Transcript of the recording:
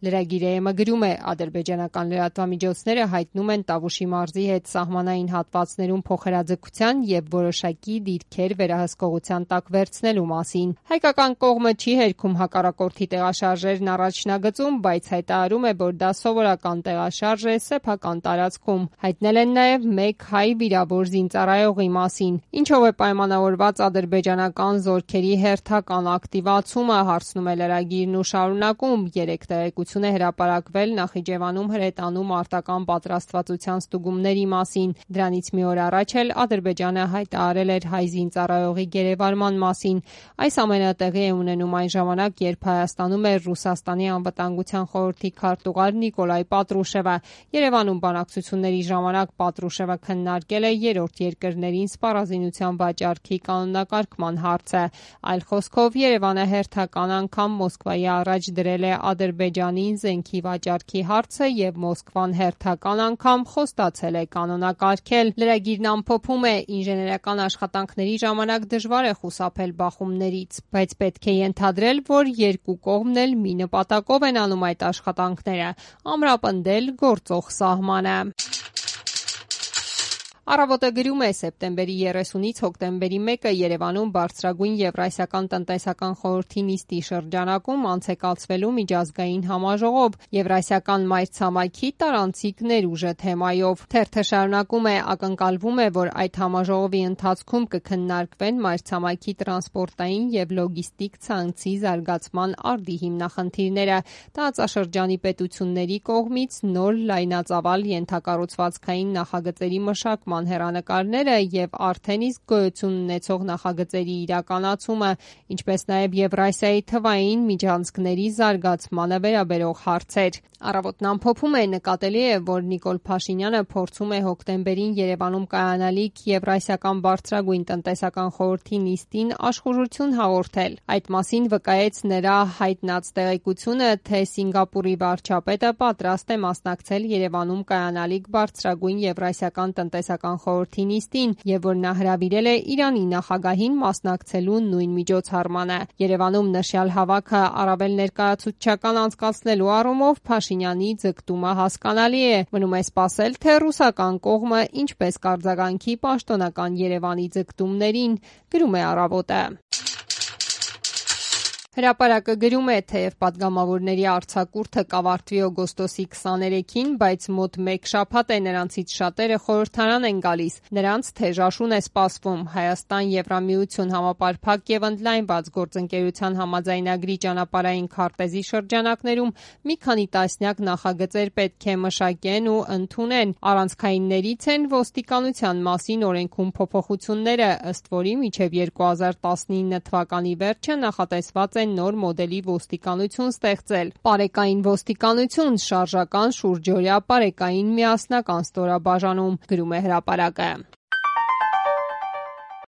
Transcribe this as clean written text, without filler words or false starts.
Լրագիրը գրում է, ադրբեջանական լրատվամիջոցները հայտնում են Տավուշի մարզի հետ սահմանային հատվածներում փոխհրաձգության և որոշակի դիրքեր վերահսկողության տակ վերցնելու մասին։ Հայկական կողմը չի հերքում հակառակորդի տեղաշարժերն առաջնագծում, բայց հայտարարում է, որ դա սովորական տեղաշարժ է սեփական տարածքում։ Հայտնել են նաև մեկ հայ վիրավոր զինծառայողի մասին։ Ինչով է պայմանավորված ադրբեջանական զորքերի հերթական ակտիվացումը, հարցնում է լրագիրն ու շարունակում. 3 տեղեկություն է հրապարակվել Նախիջևանում հրետանու մարտական պատրաստվածության ստուգումների մասին։ Դրանից մի օր առաջ էլ Ադրբեջանը հայտարարել էր հայ զինծառայողի գերեվարման մասին։ Այս ամենը տեղի է ունենում այն ժամանակ, երբ Հայաստանում էր Ռուսաստանի անվտանգության խորհրդի քարտուղար Նիկոլայ Պատրուշևը։ Երևանում բանակցությունների ժամանակ Պատրուշևը քննարկել է երրորդ երկրներին սպառազինության վաճառքի կանոնակարգման հարցը։ Այլ խոսքով, Երևանը հերթական անգամ Մոսկվայի առաջ դրել է Ադրբեջանին զենքի վաճառքի հարցը և Մոսկվան հերթական անգամ խոստացել է կանոնակարգել։ Լրագիրն ամփոփում է. ինժեներական աշխատանքների ժամանակ դժվար է խուսափել բախումներից, բայց պետք է ենթադրել, որ երկու կողմն էլ մի նպատակով են անում այդ աշխատանքները՝ ամրապնդել գործող սահմանը։ Առավոտը գրում է. սեպտեմբերի 30-ից հոկտեմբերի 1-ը Երևանում բարձրագույն Եվրասիական տնտեսական խորհրդի նիստի շրջանակում անց է կացվելու միջազգային համաժողով Եվրասիական մայրցամաքի տարանցիկ ներուժը թեմայով։ Թերթը շարունակում է. ակնկալվում է, որ այդ համաժողովի ընթացքում կքննարկվեն մայրցամաքի տրանսպորտային և լոգիստիկ ցանցի զարգացման արդի հիմնախնդիրները, տարածաշրջանի պետությունների կողմից նոր լայնածավալ ենթակառուցվածքային նախագծերի մշակման հեռանկարները և արդեն իսկ գոյություն ունեցող նախագծերի իրականացումը, ինչպես նաև Եվրասիայի թվային միջանցքների զարգացմանը վերաբերող հարցեր։ Առավոտն ամփոփում է. նկատելի է, որ Նիկոլ Փաշինյանը փորձում է հոկտեմբերին Երևանում կայանալիք Եվրասիական բարձրագույն տնտեսական խորհրդի նիստին աշխուժություն հաղորդել։ Այդ մասին վկայեց նրա հայտնած տեղեկությունը, թե Սինգապուրի վարչապետը պատրաստ է մասնակցել Երևանում կայանալիք բարձրագույն Եվրասիական տնտեսական խորհրդի նիստին և որ նա հրավիրել է Իրանի նախագահին մասնակցելու նույն միջոցառմանը։ Երևանում նշյալ հավաքը առավել ներկայացուցչական անցկացնելու առումով Փաշինյանի ձգտումը հասկանալի է։ Մնում է սպասել, թե ռուսական կողմը ինչպես կարձագանքի պաշտոնական Երևանի ձգտումներին, գրում է Առավոտը։ Հրապարակը գրում է. թեև պատգամավորների արձակուրդը կավարտվի օգոստոսի 23-ին, բայց մոտ մեկ շաբաթ է նրանցից շատերը խորհրդարան են գալիս։ Նրանց թեժ աշուն է սպասվում։ Հայաստան-Եվրամիություն համապարփակ և ընդլայնված գործընկերության համաձայնագրի ճանապարհային քարտեզի շրջանակներում մի քանի տասնյակ նախագծեր պետք է մշակեն ու ընդունեն։ Առանցքայիններից են ոստիկանության մասին օրենքում փոփոխությունները, ըստ որի մինչև 2019 թվականի վերջը նախատեսված է նոր մոդելի ոստիկանություն ստեղծել՝ պարեկային ոստիկանություն, շարժական շուրջօրյա պարեկային միասնական ստորաբաժանում, գրում է Հրապարակը։